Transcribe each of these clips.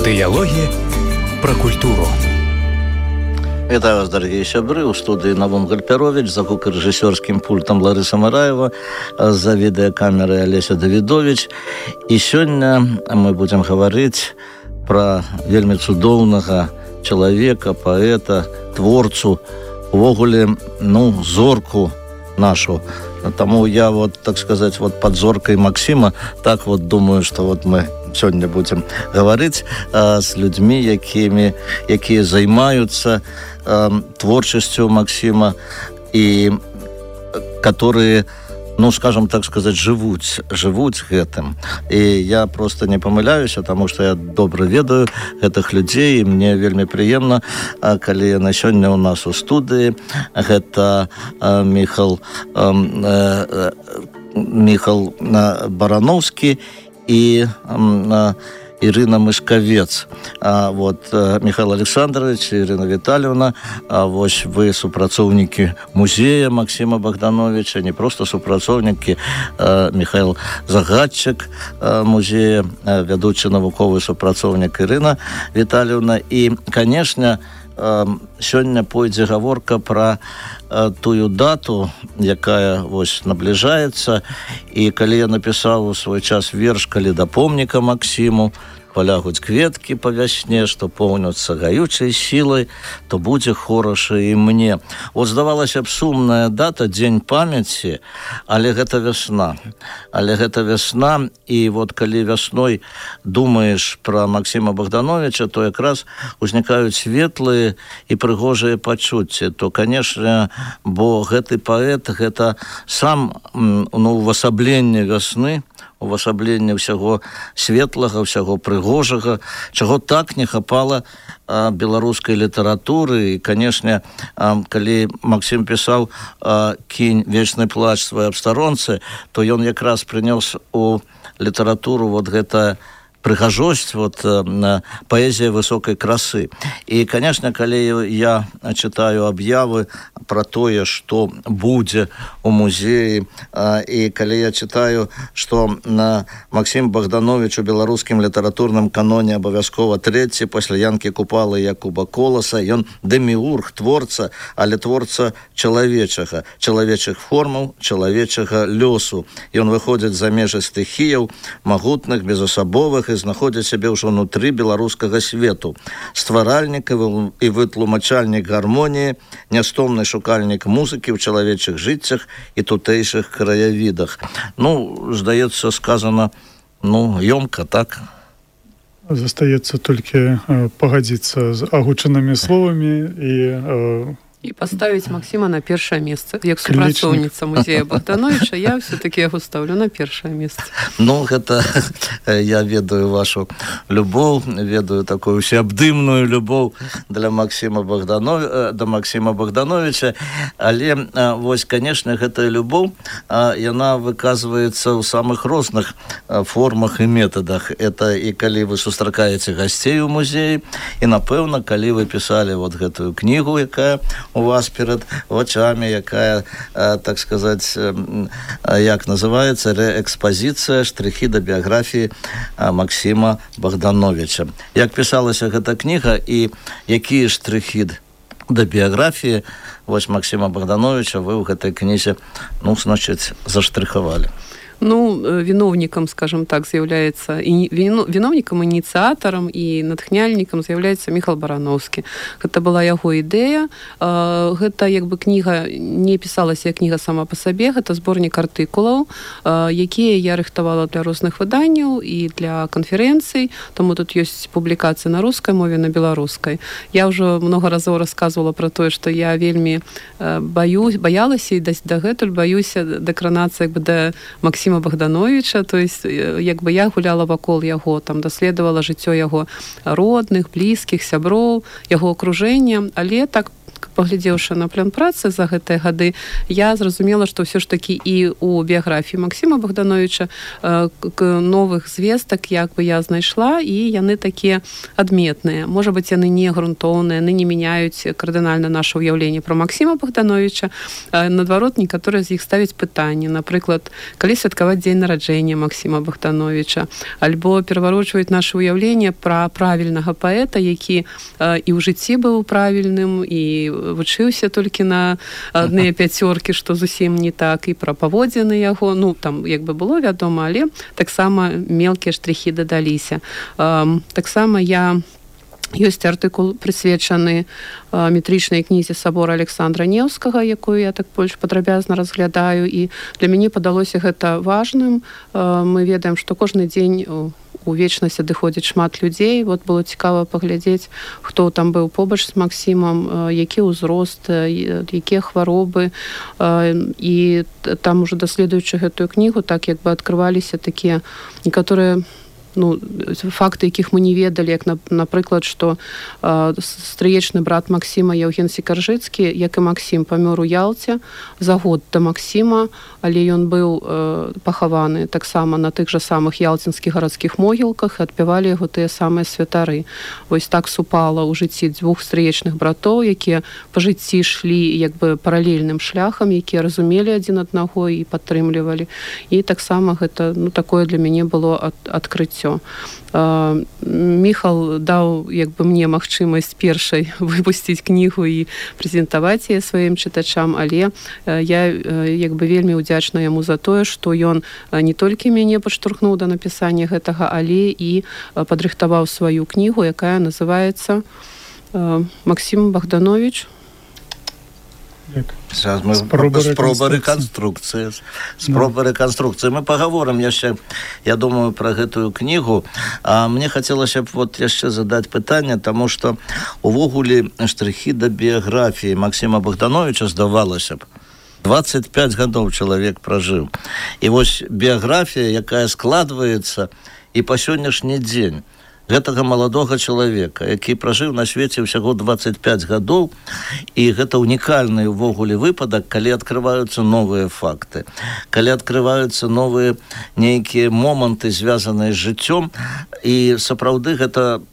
Дыялогі пра культуру. Вітаю вас, дарагія сябры. У студыі Навум Гальпяровіч, за гукарэжысёрскім пультам Ларыса Мараева, за відэакамерай Алеся Давідовіч. І сёння мы будзем гаварыць пра вельмі цудоўнага чалавека, паэта, творцу, увогуле, зорку нашу. Таму я, так сказаць, под зоркай Максима, так думаю, што мы сёння будзем гаварыць з людзьмі, якія займаюцца творчасцю Максима і которые, скажем так сказаць, жывуць гэтым. І я просто не памыляюся, таму што я добра ведаю гэтых людзей, і мне вельмі прыемна, калі яны сёння ў нас у студыі. Гэта Міхал Барановскі і Ірына Мышкавец. Михаил Александрович, Ірына Віталіўна, вы супрацоўнікі музея Максима Богдановича, не просто супрацоўнікі, Михаил Загадчык музея, вядучы навуковы супрацоўнік Ірына Віталіўна. І, канешне, сёння пойдзе гаворка пра тую дату, якая набліжаецца. І калі я напісаў у свой час верш «Калі да помніка Максиму полягуць кветкі па вясне, што поўняцца гаючай сілай, то будзе хораша і мне». Здавалася б, сумная дата, дзень памяці, але гэта вясна. І калі вясной думаеш пра Максима Богдановича, то якраз узнікаюць светлыя і прыгожыя пачуцці. То, канешне, бо гэты паэт, гэта сам увасабленне вясны, увасабленне ўсяго светлага, ўсяго прыгожага, чаго так не хапала беларускай літаратуры. І, канешне, калі Максим пісаў «Кінь вечны плач свае абстаронцы», то ён якраз прынёс у літаратуру гэта прыгажосць, паэзія высокай красы. І, канешне, калі я чытаю аб'явы пра тое, што будзе у музеі, і калі я чытаю, што Максим Богданович у беларускім літаратурным каноне абавязкова трэці пасля Янкі Купалы і Якуба Коласа, ён дэміург, творца, але творца чалавечага, чалавечых формаў, чалавечага лёсу. Ён выходзіць за межы стыхіяў, магутных, безасабовых, і знаходзіць сябе ўжо ўнутры беларускага свету. Стваральнік і вытлумачальнік гармоніі, нястомны шукальнік музыкі ў чалавечых жыццях і тутэйшых краявідах. Здаецца, сказана, ёмка, так? Застаецца толькі пагадзіцца з агучанымі словамі і поставіць Максима на першае месца. Як супрацоўніца музея Богдановича, я все-таки яго ставлю на першае месца. Гэта я ведаю вашу любоў, ведаю такую всеабдымную любоў для Максима Богдановича, але, канешне, гэтая любоў, яна выказваецца ў самых розных формах і метадах. Это і калі вы сустракаеце гасцей у музеі, і, напэўна, калі вы пісалі гэтую кнігу, якая у вас перед вачами, якая, так сказать, як называется, реэкспозиция «Штрихи до биографии Максима Богдановича». Як писалася гэта книга і якія штрихи до биографии Максима Богдановича вы ў гэтай кнізе, значит, заштриховали? Виновником, скажем так, з'являецца, виновником, ініцыятарам і натхняльнікам з'яўляецца Міхал Барановскі. Гэта была яго ідэя. Гэта, кніга не пісалася як кніга сама па сабе, гэта зборнік артыкулаў, якія я рыхтавала для розных выданняў і для канферэнцый, таму тут ёсць публікацыі на рускай мове, на беларускай. Я ўжо много разоў расказвала пра тое, што я вельмі баялася і дагэтуль баюся дакранацца да Максима Богдановича, то есть я гуляла вакол яго, даследавала жыццё яго родных, блізкіх, сяброў, яго акружэння, але так паглядзеўшы на план працы за гэтыя гады, я зразумела, што ўсё ж такі і у біяграфіі Максіма Богдановича новых звестак як бы я знайшла, і яны такія адметныя. Можа быць, яны не грунтоўныя, яны не мяняюць кардынальна наше ўяўленне пра Максіма Богдановича. Наадварот, некаторыя з іх ставяць пытанні. Напрыклад, калі святкаваць дзень нараджэння Максіма Богдановича, альбо пераварочваюць наше ўяўленне пра правільнага паэта, які і ў жыцці быў правільным, і вучыўся толькі на адныя пяцёркі, што зусім не так, і пра паводзіны яго, ну, там як бы было вядома, але таксама мелкія штрихі дадаліся. Таксама ёсць артыкул, прысвечаны метрычнай кнізе сабора Александра Неўскага, якую я так больш падрабязна разглядаю, і для мяне падалося гэта важным. Мы ведаем, што кожны дзень у вечнасць адыходзіць шмат людзей. Вот было цікава паглядзець, хто там быў побач з Максімам, які ўзрост, якія хваробы. І там уже даследуючы гэтую кнігу, так як бы адкрываліся такія некаторыя факты, якіх мы не ведалі, як, напрыклад, што стрыечны брат Максіма Яўген Сікаржыцкі, як і Максім, памёр у Ялце за год да Максіма, але ён быў пахаваны таксама на тых жа самых ялцінскіх гарадскіх могілках, і адпявалі яго тыя самыя святары. Вось так супала ў жыцці дзвюх стрыечных братоў, якія па жыцці шлі як бы паралельным шляхам, якія разумелі адзін аднаго і падтрымлівалі. І таксама гэта, такое для мяне было адкрыццё. Міхал даў як бы мне магчымасць першай выпусціць кнігу і прэзентаваць яе сваім чытачам, але я як бы вельмі ўдзячна яму за тое, што ён не толькі мяне падштурхнуў да напісання гэтага, але і падрыхтаваў сваю кнігу, якая называецца «Максім Богданович». Спроба рэканструкцыі. Мы пагаворым яшчэ, я думаю, пра гэтую кнігу. А мне хацелася б яшчэ задаць пытанне, таму што увогуле штрыхі да біяграфіі Максіма Богдановича, здавалася б, 25 гадоў чалавек пражыў. І вось біяграфія, якая складваецца і па сённяшні дзень гэтага маладога чалавека, які пражыў на свеце ўсяго 25 гадоў, і гэта унікальны ўвогуле выпадак, калі адкрываюцца новыя факты, калі адкрываюцца новыя нейкія моманты, звязаныя з жыццём, і сапраўды гэта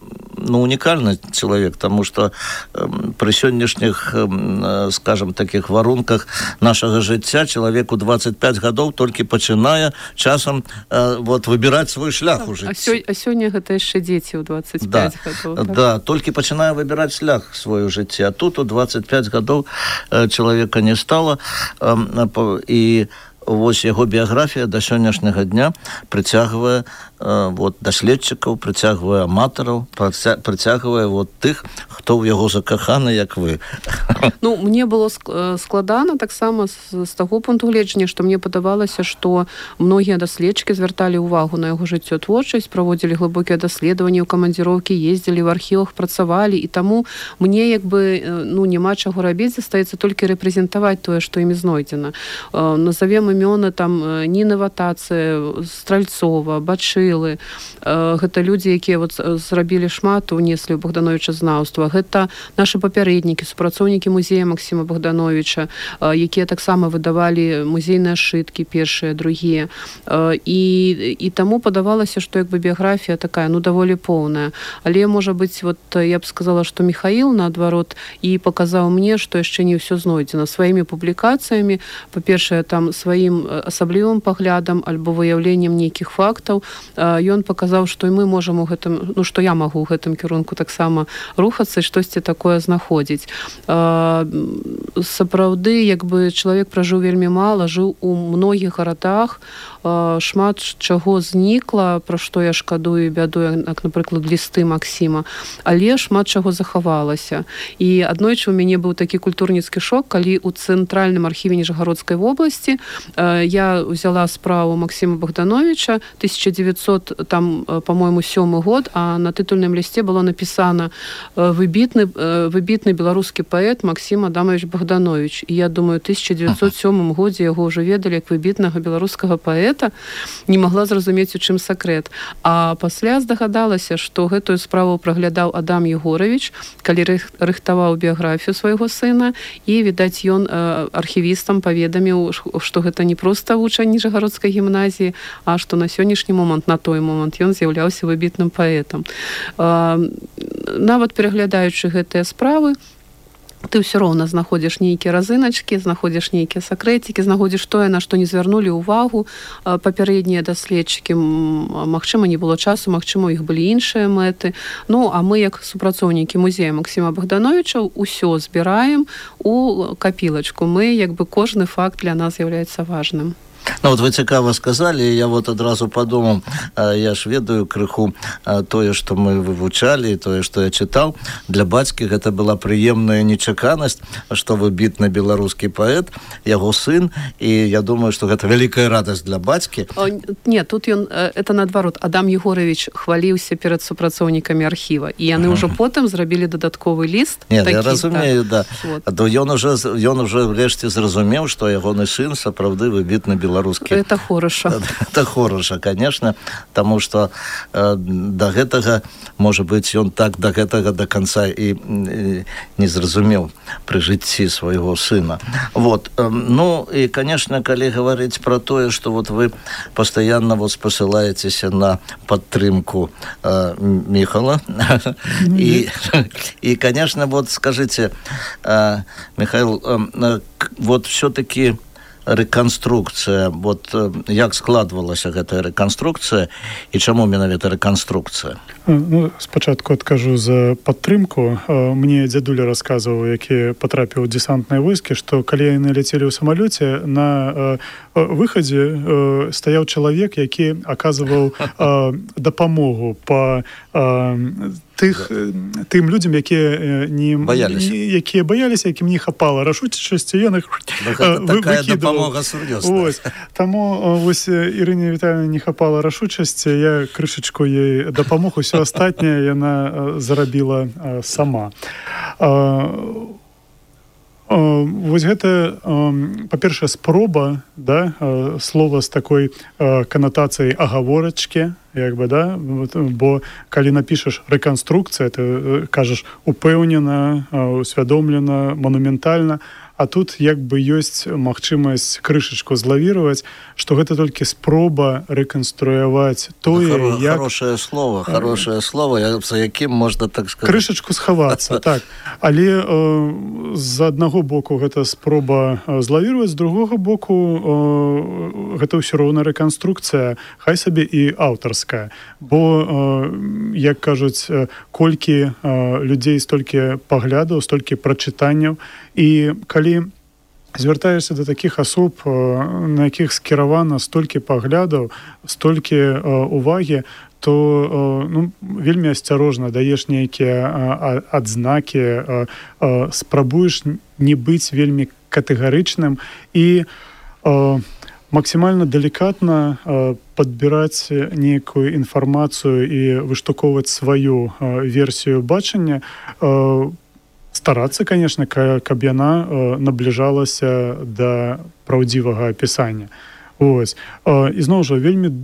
унікальны чалавек, таму што пры сённяшніх, скажам, такіх варунках нашага жыцця чалавеку 25 гадоў толькі пачынае часам выбіраць свой шлях у жыцці. А сёння гэта яшчэ дзеці ў 25 гадоў. Да, толькі пачынае выбіраць шлях свой у жыцці, а тут у 25 гадоў чалавека не стала, і вось яго біяграфія да сённяшняга дня прыцягвае даследчыкаў, прыцягвае аматараў, прыцягвае тых, хто ў яго закаханы, як вы. Мне было складана таксама з таго пункту гледжання, што мне падавалася, што многія даследчыкі звярталі ўвагу на яго жыццё, творчасць, праводзілі глыбокія даследаванні ў камандзіроўкі, ездзілі ў архівах, працавалі, і таму мне як бы няма чаго рабіць, застаецца толькі рэпрэзентаваць тое, што імі знойдзена. Назовем імёны там Ніны Ватацыя, Стральцова, Бачылы. Гэта людзі, якія зрабілі шмат, унеслі ў Богдановича знаўства. Гэта нашы папярэднікі, супрацоўнікі музея Максіма Богдановича, якія таксама выдавалі музейныя сшыткі, першыя, другія. І таму падавалася, што як бы біяграфія такая, даволі поўная. Але, можа быць, я б сказала, што Міхаіл, наадварот, і паказаў мне, што яшчэ не ўсё знойдзена. Сваімі публікацыямі, па-першае, там сваім асаблівым паглядам альбо выяўленнем нейкіх фактаў, ён паказаў, што і мы можам у гэтым, што я магу ў гэтым кірунку таксама рухацца і штосьці такое знаходзіць. Сапраўды, як бы чалавек пражыў вельмі мала, жыў у многіх гарадах, шмат чаго знікла, пра што я шкадую і бядую, як, напрыклад, лісты Максіма, але шмат чаго захавалася. І аднойчы у мяне быў такі культурніцкі шок, калі ў цэнтральным архіве Ніжагородскай вобласці Я взяла справу Максима Богдановича, 1900, там, по-моему, 7 год, а на титульным листе было написано «Выбітны беларускі паэт Максим Адамович Богданович». І я думаю, в 1907 годзе яго ўжо ведалі як выбітнага беларускага паэта, не магла зразумець, у чым сакрэт. А пасля здагадалася, што гэтую справу праглядаў Адам Егорович, калі рыхтаваў біяграфію свайго сына, і, відаць, ён архівістам паведаміў, што гэта не проста вучань Ніжагародскай гімназіі, а што на сённяшні момант, на той момант, ён з'яўляўся выбітным паэтам. Нават пераглядаючы гэтыя справы, ты ўсё роўна знаходзіш нейкія разыначкі, знаходзіш нейкія сакрэцікі, знаходзіш тое, на што не звярнулі ўвагу папярэднія даследчыкі. Магчыма, не было часу, магчыма, у іх былі іншыя мэты. Ну, а мы, як супрацоўнікі музея Максима Богдановича, усё збіраем у капілачку. Мы, як бы, кожны факт для нас з'яўляецца важным. Ну, вот вы цікаво сказали, я вот адразу подумал, я ж ведаю крыху тое, што мы вывучалі, тое, што я чытаў. Для бацькі гэта была прыемная нечаканасць, што выбітны беларускі паэт, яго сын, і я думаю, што гэта вялікая радасць для бацькі. Не, тут ён, это наадварот, Адам Егорович хваліўся перад супрацоўнікамі архіва, і яны ўжо потым зрабілі дадатковы ліст. Нет, я разумею, да. То ён уже врешце зразумеў, што ягоны сын сапраўды выбітны беларускі. Это хороша. Это хороша, конечно, потому что до гэтага, может быть, ён так до гэтага до конца и не зразумеў при жыцці свайго сына. Вот. Ну, и, конечно, калі говорить про тое, что вот вы постоянно вот спасылаецеся на падтрымку Михала. И, конечно, вот скажите, Михаил, вот все-таки рэканструкцыя, вот як складвалася гэтая рэканструкцыя і чаму менавіта рэканструкцыя? Ну, спачатку адкажу за падтрымку. Мне дзядуля расказваў, які патрапіў у дэсантныя войскі, што калі яны ляцелі ў самалёце, на выхадзе стаяў чалавек, які аказваў дапамогу па тым людзям, якія баяліся, якім не хапала рашучасці, ён іх выкідваў. Таму вось Ірыне Віталіўне не хапала рашучасці, я крышачку ей дапамог, усё астатняе яна зарабіла сама. Вось гэта, па-першае, спроба, да, слова з такой канатацыяй агаворачкі, як бы, да, бо калі напішаш рэканструкцыя, ты кажаш упэўнена, усвядомлена, манументальна, а тут як бы ёсць магчымасць крышачку злавіраваць, што гэта толькі спроба рэканструяваць тое, як... Хорошее слово, за якім можна, так сказаць... Крышачку схавацца, так. Але з аднаго боку гэта спроба злавіраваць, з другога боку гэта ўсё роўна рэканструкцыя, хай сабе і аўтарская. Бо, як кажуць, колькі людзей, столькі паглядаў, столькі прачытанняў, і калі звяртаешся да такіх асоб, на якіх скіравана столькі паглядаў, столькі увагі, то вельмі асцярожна даеш нейкія адзнакі, спрабуеш не быць вельмі катэгарычным і максімальна далікатна падбіраць нейкую інфармацыю і выштукоўваць сваю версію бачання, старацца, конечно, каб яна набліжалася да праўдзівага апісання. Ось. І зноў жа, вельмі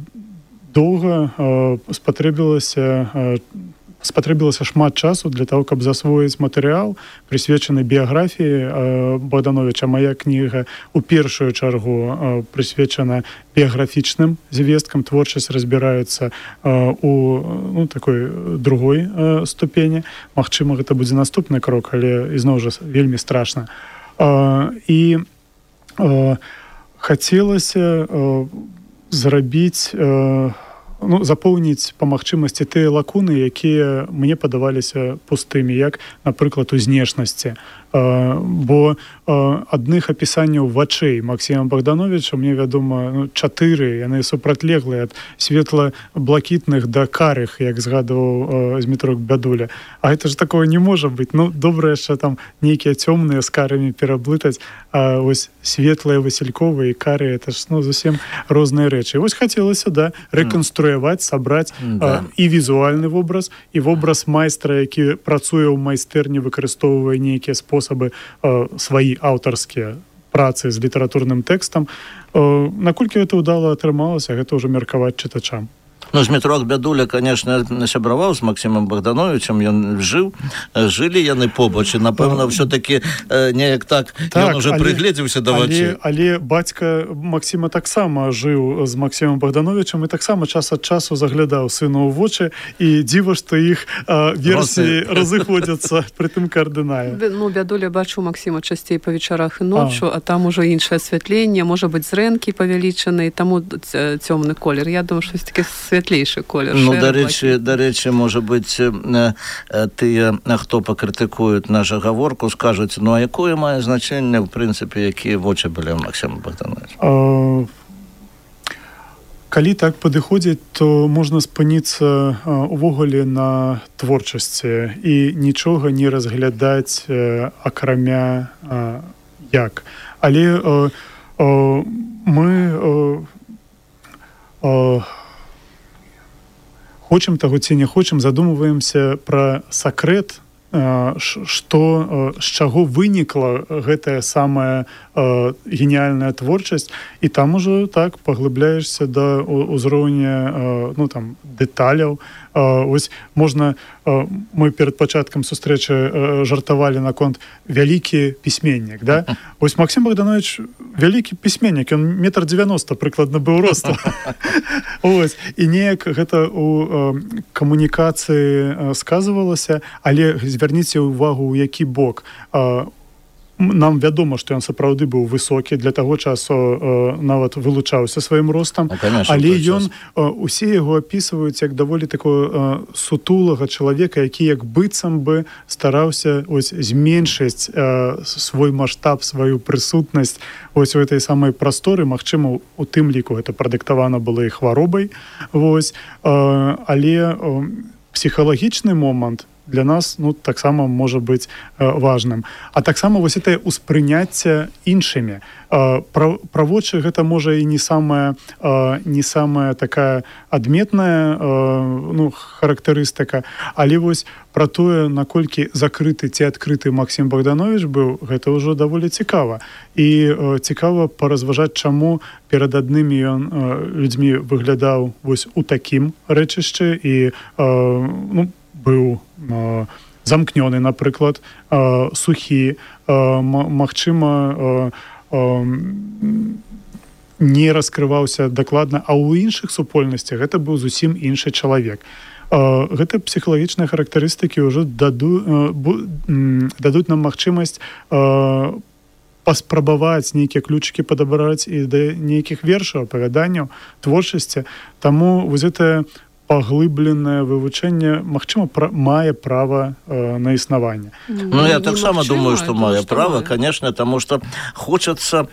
доўга спатрэбілася шмат часу для того, каб засвоіць матэрыял, прысвечаны біяграфіі Богдановича. Мая кніга у першую чаргу прысвечана біяграфічным звесткам, творчасць разбіраецца у такой другой ступені. Магчыма, гэта будзе наступны крок, але ізноў жа вельмі страшна. І хацелася зрабіць запоўніць па магчымасці тыя лакуны, якія мне падаваліся пустымі, як, напрыклад, у знешнасці. Бо адных апісанняў вачэй Максіма Богдановича мне вядома 4, яны супрацьлеглыя ад светла-блакітных да карых, як згадваў Змітрок Бядуля. А гэта ж такого не можа быць. Добра яшчэ там нейкія цёмныя з карамі пераблытаць, а вось светлыя васільковыя і кары, это ж зусім розныя рэчы. І вось хацелася, рэканструяваць, сабраць і візуальны вобраз, і вобраз майстра, які працуе ў майстэрні, выкарыстоўвае нейкія спосабы сваі аўтарскія працы з літаратурным тэкстам. Наколькі гэта ўдала атрымалася, гэта ўжо меркаваць чытачам. Змітрок Бядуля, конечно, сябраваў з Максімам Богдановичем, ён жылі яны побач, і, напэўна, ўсё-таки неяк так, ён уже прыгледзеўся да вачэй. Але бацька Максіма таксама жыў з Максімам Богдановичем і таксама час ад часу заглядаў сыну ў вочы, і дзіва, што іх версіі разыходзяцца пры тым кардынальна. Бядуля бачу Максіма часцей па вечарах і ноччу, а там ужо іншае асвятленне, можа быць, зрэнкі павялічаны, таму цёмны колер. Я думаю, што такі святлейшы колер. Дарэчы, можа быць, тыя, хто пакрытыкуюць нашу гаворку, скажуць, а якое мае значэнне, в прынцыпе, якія вочы былі ў Максіма Богдановича? Калі так падыходзіць, то можна спыніцца увогуле на творчасці і нічога не разглядаць акрамя як. Але мы хочам таго ці не хочам, задумваемся пра сакрэт, што, з чаго вынікла гэтая самая геніальная творчасць, і там ужо так паглыбляешся да ўзроўня дэталяў. Ось можна, мы перад пачаткам сустрэчы жартавалі наконт вялікі пісьменнік, да? Ось Максім Богданович вялікі пісьменнік, ён 1,90 м прыкладна быў росту. Ось, і неяк гэта у камунікацыі сказывалася, але звярніце ўвагу, у які бок. Нам вядома, што ён сапраўды быў высокі, для таго часу нават вылучаўся сваім ростам, але ён, усе яго апісваюць як даволі такого сутулага чалавека, які як быццам бы стараўся зменшыць свой маштаб, сваю прысутнасць у этой самай прасторы. Магчыма, у тым ліку гэта прадыктавана было і хваробай, але псіхалагічны момант для нас таксама можа быць важным. А таксама вось это ўспрыняцце іншымі. Пра вочы гэта можа і не самая такая адметная характарыстыка, але вось пра тое, наколькі закрыты ці адкрыты Максім Богданович быў, гэта ўжо даволі цікава. І цікава паразважаць, чаму перад аднымі ён людзьмі выглядаў вось у такім рэчышчы і быў замкнёны, напрыклад, сухі, магчыма, не раскрываўся дакладна, а ў іншых супольнасцях гэта быў зусім іншы чалавек. Гэта псіхалагічныя характарыстыкі ўжо дадуць нам магчымасць паспрабаваць нейкія ключыкі падабраць і да нейкіх вершаў, апавяданняў, творчасці. Таму вось гэтае паглыбленае вывучэнне, магчыма, мае права на існаванне. Я таксама думаю, што мае права, конечно, таму што хочацца,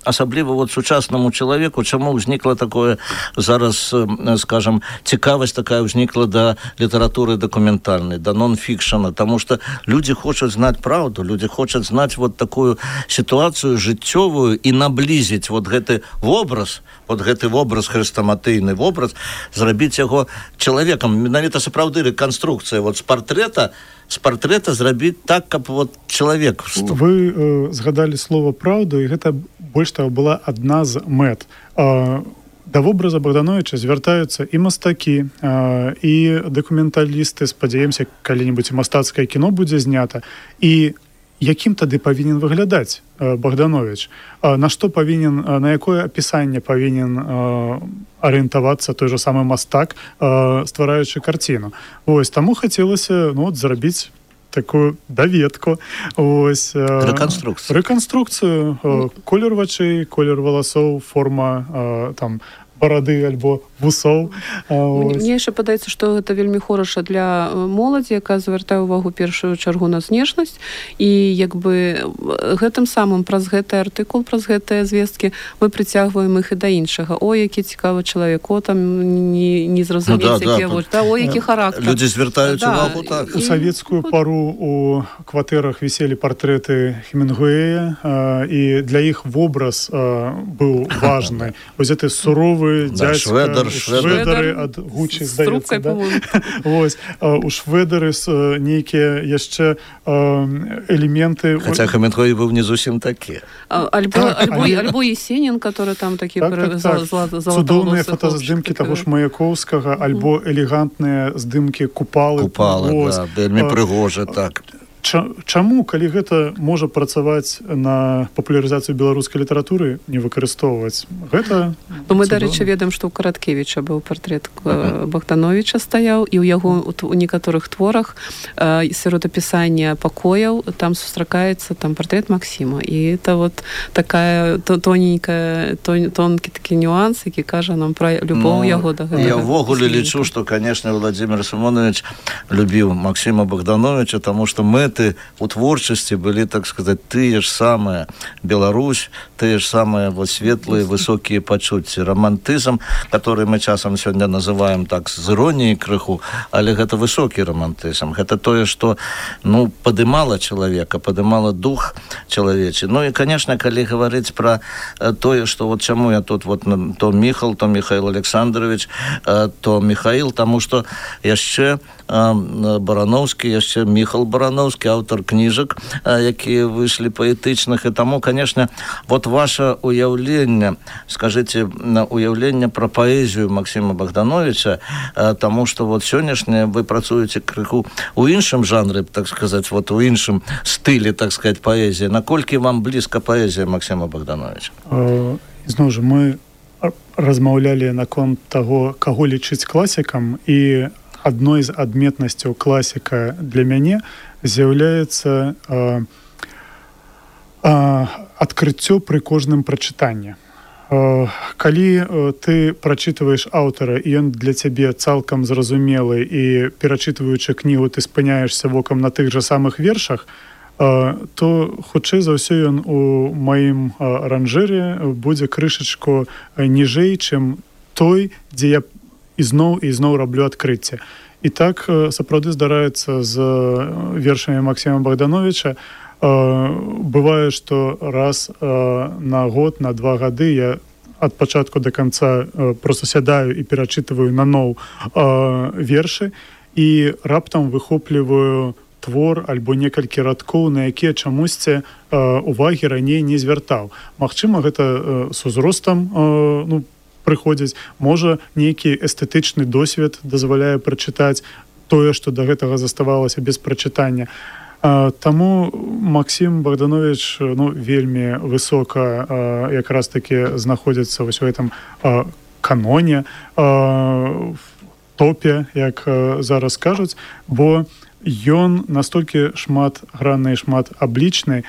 асабліва сучаснаму чалавеку, чаму ўзнікла такое зараз, скажам, цікавасць такая ўзнікла да літаратуры дакументальнай, да нон-фікшана, таму што людзі хочуць знаць праўду, людзі хочуць знаць такую сітуацыю жыццёвую і наблізіць гэты вобраз, гэты вобраз, хрэстаматыйны вобраз, зрабіць яго чалавекам. Менавіта сапраўды рэканструкцыя з партрэта зрабіць так, каб чалавек. Вы згадалі слова «праўду», і гэта больш таго была адна з мэт. Да вобраза Богдановича звяртаюцца і мастакі, і дакументалісты, спадзяемся, калі-небудзь мастацкае кіно будзе знята. І якім тады павінен выглядаць Богданович? На што павінен, на якое апісанне павінен арыентавацца той же самы мастак, ствараючы карціну? Таму хацелася зрабіць такую даведку. Рэканструкцыю. Колер вачэй, колер валасоў, форма барады альбо вусоў. Мне яшчэ падаецца, што гэта вельмі хораша для моладзі, якая звяртае ўвагу першую чаргу на знешнасць, і як бы гэтым самым праз гэты артыкул, праз гэтыя звесткі мы прыцягваем іх і да іншага. Ой, які цікавы чалавек, о, там не зразумець, які вось, ой, які характар. Людзі звяртаюць увагу, так. У савецкую пару у кватэрах віселі партрэты Хемінгуэя, і для іх вобраз быў важны. Вось гэты суровы дядька, шведары ад Гуччі, здаецца, да? Вось, у шведары нейкія яшчэ элементы. Хаця Хемінгуэй быў не зусім такі. Альбо Есенін, который там такі золотоволосы. Цудоўныя фотаздымкі таго ж Маяковскага, альбо элегантныя здымкі Купалы, да, вельмі прыгожа, так. Чаму, калі гэта можа працаваць на папулярызацыю беларускай літаратуры, не выкарыстоўваць? Гэта мы, дарэчы, ведаем, што ў Караткевіча быў партрэт Богдановича стаяў, і ў яго у некаторых творах сярод апісання пакояў там сустракаецца там партрэт Максіма. І это вот такая тонкі такі нюанс, які кажа нам пра любоў яго да гэтага. Я ўвогуле лічу, што, канешне, Владимир Симонович любіў Максіма Богдановича, таму што мэты у творчасці былі, так сказаць, тыя ж самыя Беларусь, тыя ж самыя вот светлыя, высокія пачуцці, романтызм, который мы часам сёння называем так з іроніяй крыху, але гэта высокі романтызм. Гэта тое, што, падымала чалавека, падымала дух чалавечы. Ну і, конечно, калі гаварыць пра тое, што вот чаму я тут вот то Михаил Александрович, то Михаил, таму што яшчэ Барановскі, яшчэ Міхал Барановскі, аўтар кніжак, якія выйшлі паэтычных, і таму, конечно, вот ваше уяўленне, скажите, уяўленне пра паэзію Максіма Богдановича, таму што вот сённяшняе вы працуеце крыху у іншым жанры, так сказаць, вот у іншым стылі, так сказаць, паэзіі. Наколькі вам блізка паэзія Максіма Богдановича? Зноў жа, мы размаўлялі наконт таго, каго лічыць класікам, і адной з адметнасцяў класіка для мяне з'яўляецца адкрыццё пры кожным прачытанні. Калі ты прачытваеш аўтара, і ён для цябе цалкам зразумелы, і перачытваючы кнігу ты спыняешся вокам на тых жа самых вершах, то хутчэй за ўсё ён у маім аранжыры будзе крышачку ніжэй, чым той, дзе я ізноў раблю адкрыцце. І так сапраўды здараецца з вершамі Максіма Богдановича. Бывае, што раз на год, на 2 гады я ад пачатку да канца проста сядаю і перачытваю наноў вершы, і раптам выхопліваю твор альбо некалькі радкоў, на якія чамусьці увагі раней не звяртаў. Магчыма, гэта з узростам прыходзіць, можа, нейкі эстэтычны досвед дазваляе прачытаць тое, што да гэтага заставалася без прачытання. Таму Максім Богданович вельмі высока якраз такі знаходзіцца вось у гэтым каноне, топе, як зараз кажуць, бо ён настолькі шматгранны і шматаблічны,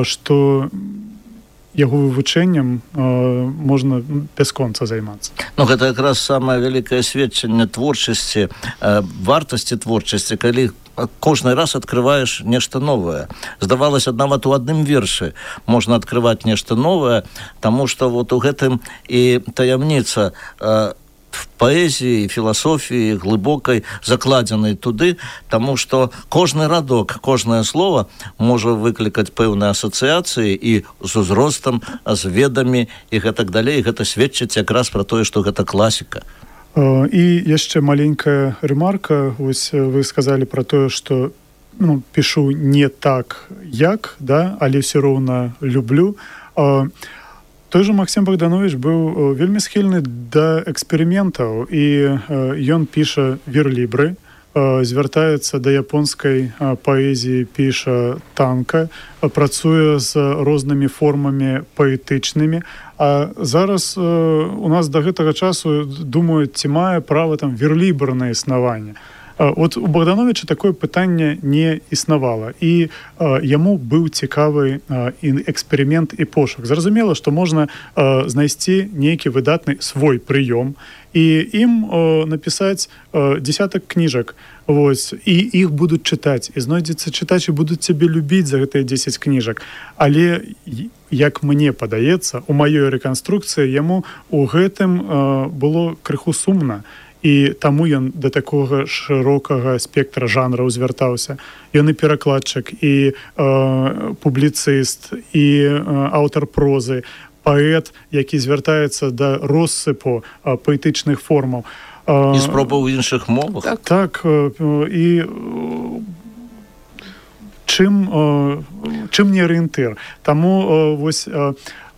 што яго вывучэннем можна бясконца займацца. Гэта якраз самае вялікае сведчанне творчасці, вартасці творчасці, калі кожны раз открываешь нешта новае. Здавалася, нават у адным вершы можна адкрываць нешта новае, таму што вот у гэтым і таямніца в паэзіі, філасофіі глыбокай закладзенай туды, таму што кожны радок, кожнае слово можа выклікаць пэўныя асацыяцыі і з узростам, з ведамі і гэтак далей. Гэта сведчыць якраз пра тое, што гэта класіка. І яшчэ маленькая ремарка. Вось вы сказалі пра тое, што пішу не так, як, да, але ўсё роўна люблю. Той же Максім Богданович быў вельмі схільны да эксперыментаў, і ён піша верлібры, звяртаецца да японскай паэзіі, піша танка, працуе з рознымі формамі паэтычнымі. А зараз у нас да гэтага часу думаюць, ці мае права там верлібр на існаванне. От у Богдановича такое пытанне не існавала, і яму быў цікавы эксперымент і пошук. Зразумела, што можна знайсці нейкі выдатны свой прыём і ім напісаць десятак кніжак, вось, і іх будуць чытаць, і знойдзецца чытач, і будуць цябе любіць за гэтыя 10 кніжак. Але, як мне падаецца, у маёй рэканструкцыі яму у гэтым было крыху сумна, і таму ён да такога шырокага спектра жанраў звяртаўся. Ён і перакладчык, і публіцыст, і аўтар прозы, паэт, які звяртаецца да россыпу паэтычных формаў. І спробаў у іншых мовах. Так, і чым не арыентыр. Таму вось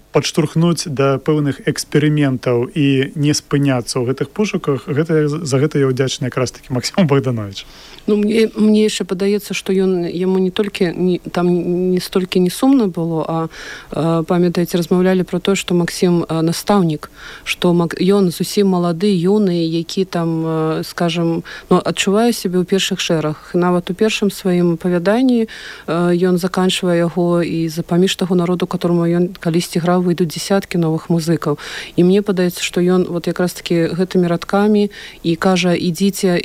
падштурхнуць да пэўных эксперыментаў і не спыняцца ў гэтых пошуках, за гэта я ўдзячны якраз такі Максіму Богдановичу. Ну, мне яшчэ падаецца, што яму не толькі там не столькі не сумна было, а памятаеце, размаўлялі пра тое, што Максім настаўнік, што ён зусім малады, юны, які там, скажем, адчувае сябе ў першых шэрагах. Нават у першым сваім апавяданні ён заканчвае яго, і паміж таго народу, которому ён калісьці граў, выйдуць дзесяткі новых музыкаў. І мне падаецца, што ён вот якраз такі гэтымі радкамі і кажа: ідзіце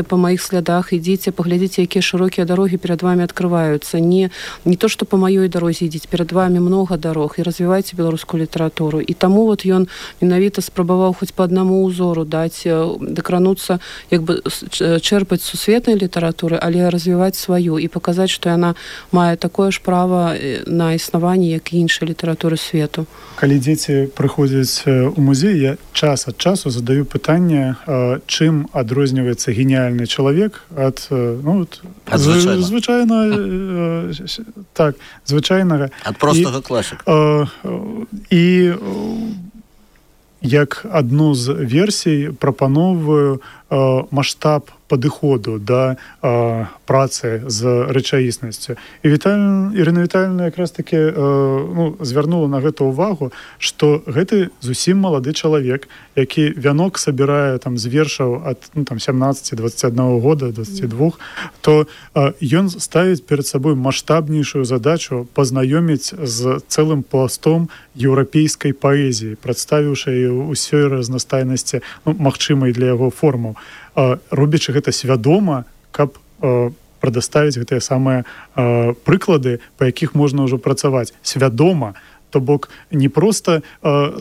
па маіх слядах, ідзіце, паглядзіце, якія шырокія дарогі перад вами адкрываюцца. Не то, што па маёй дарозе ідзіць, перад вами много дарог, і развівайце беларускую літаратуру. І таму вот ён менавіта спрабаваў хоць па аднаму ўзору даць, дакрануцца, як бы чэрпаць сусветнай літаратуры, але развіваць сваю і паказаць, што яна мае такое ж права на існаванне, як і іншай літаратуры свету. Калі дзеці прыходзяць у музей, я час ад часу задаю пытанне, чым адрозніваецца геніяльны чалавек ад звычайнага, ад простага класіка. І як адну з версій прапаноўваю маштаб падыходу да працы з рэчаіснасцю. І Ірына Віталіўна якраз таки звярнула на гэта ўвагу, што гэты зусім малады чалавек, які вянок сабірае там з вершаў ад 17-21 года, 22, то ён ставіць перад сабой маштабнейшую задачу пазнаёміць з цэлым пластом еўрапейскай паэзіі, прадставіўшы ўсёй разнастайнасці магчымай для яго формаў, робячы гэта свядома, каб прадаставіць гэтыя самыя прыклады, па якіх можна ўжо працаваць. Свядома, то бок не проста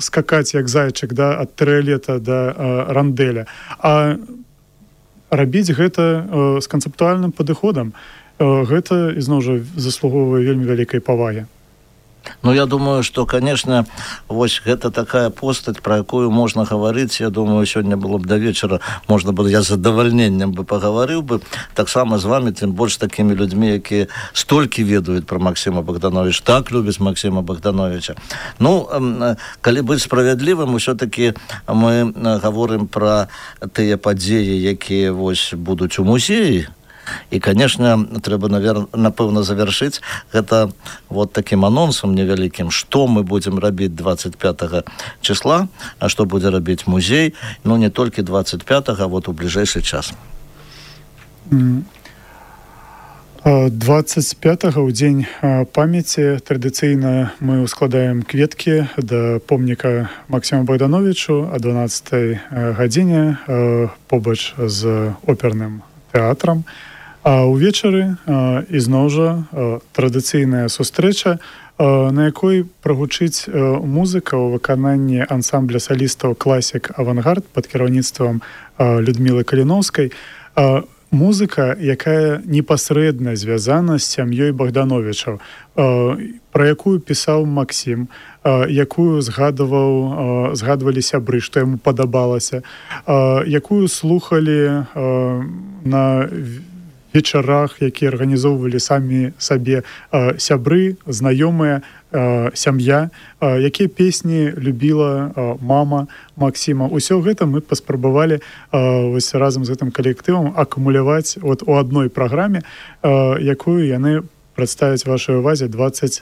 скакаць як зайчык ад тэрыялета да рандэля, а рабіць гэта з канцэптуальным падыходам. Гэта, ізноў жа, заслугоўвае вельмі вялікай павагі. Ну, я думаю, што, конечно, вось гэта такая постаць, пра якую можна гаварыць. Я думаю, сёння было б да вечара, можна было, я з задавальненнем бы пагаварыў бы, таксама з вами, тым больш такімі людзьмі, якія столькі ведаюць пра Максіма Богдановича, так любяць Максіма Богдановича. Ну, калі быць справядлівым, усё-такі мы гаворым пра тыя падзеі, якія вось будуць у музеі. І, конечно, трэба, напэўна, завяршыць гэта вот такім анонсам невялікім, што мы будзем рабіць 25 числа, а што будзе рабіць музей, ну, не толькі 25, а вот у бліжэйшы час. 25 у дзень памяці традыцыйна мы ускладаем кветкі да помніка Максіму Богдановичу о 12 гадзіне побач з оперным тэатрам. А ўвечары ізноў жа традыцыйная сустрэча, на якой прагучыць музыка ў выкананні ансамбля салістаў «Класік Авангард» пад кіраўніцтвам Людмілы Каліноўскай. Музыка, якая непасрэдна звязана з сям'ёй Богдановичаў, пра якую пісаў Максім, якую згадвалі сябры, што яму падабалася, якую слухалі на вечарах, якія арганізоўвалі самі сабе сябры, знаёмыя, сям'я, якія песні любіла мама Максіма. Усё гэта мы паспрабавалі вось разам з гэтым калектывам акумуляваць от у адной праграме, якую яны прадставяць вашай увазе 25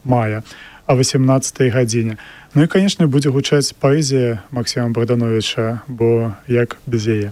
мая о 18 гадзіне. Ну і, канешне, будзе гучаць паэзія Максіма Богдановича, бо як без яе.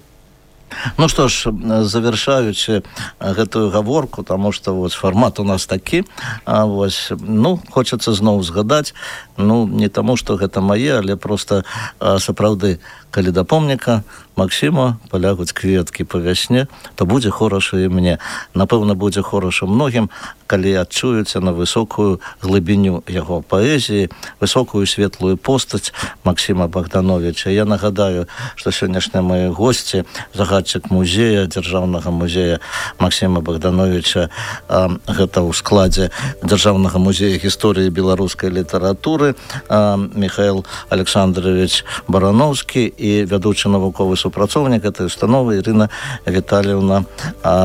Ну што ж, завершаючы гэтую гаворку, таму што вось фармат у нас такі, вось, ну, хочацца зноў згадаць, ну, не таму, што гэта мае, але проста сапраўды, калі да помніка Максіма палягуць кветкі па вясне, то будзе хораша і мне. Напэўна, будзе хораша многім, калі адчуюцца на высокую глыбіню яго паэзіі, высокую светлую постаць Максіма Богдановича. Я нагадаю, што сённяшнія мае госці, загадчык музея, дзяржаўнага музея Максіма Богдановича, гэта ў складзе Дзяржаўнага музея гісторыі беларускай літаратуры, Михаил Александрович Барановскі і вядучы навуковы супрацоўнік этой установы Ірына Віталіўна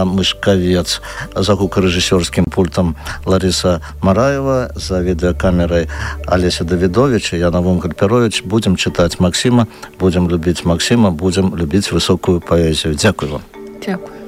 Мышкавец. За гукарэжысёрскім пультам Лариса Мараева, за відэакамерай Алеся Давідович, я Навум Гальперович. Будем чытаць Максіма, будем любіць Максіма, будем любіць высокую паэзію. Дзякуй вам. Дзякуй.